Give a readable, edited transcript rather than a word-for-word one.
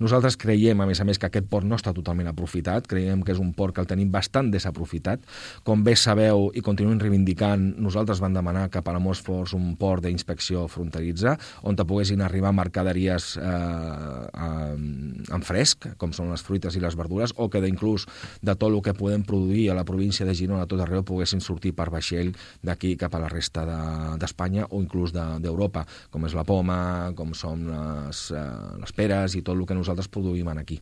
Nosaltres creiem, a més, que aquest port no està totalment aprofitat, creiem que és un port que el tenim bastant desaprofitat. Com bé sabeu i continuem reivindicant, nosaltres vam demanar que Palamós fos un port d'inspecció fronteritzar, on te poguessin arribar mercaderies en fresc, com són les fruites i les verdures, o que inclús de tot el que podem produir a la província de Girona, a tot arreu, poguessin sortir per vaixell d'aquí cap a la resta d'Espanya o inclús d'Europa, com és la poma, com són les peres i tot el que nosaltres produïm aquí.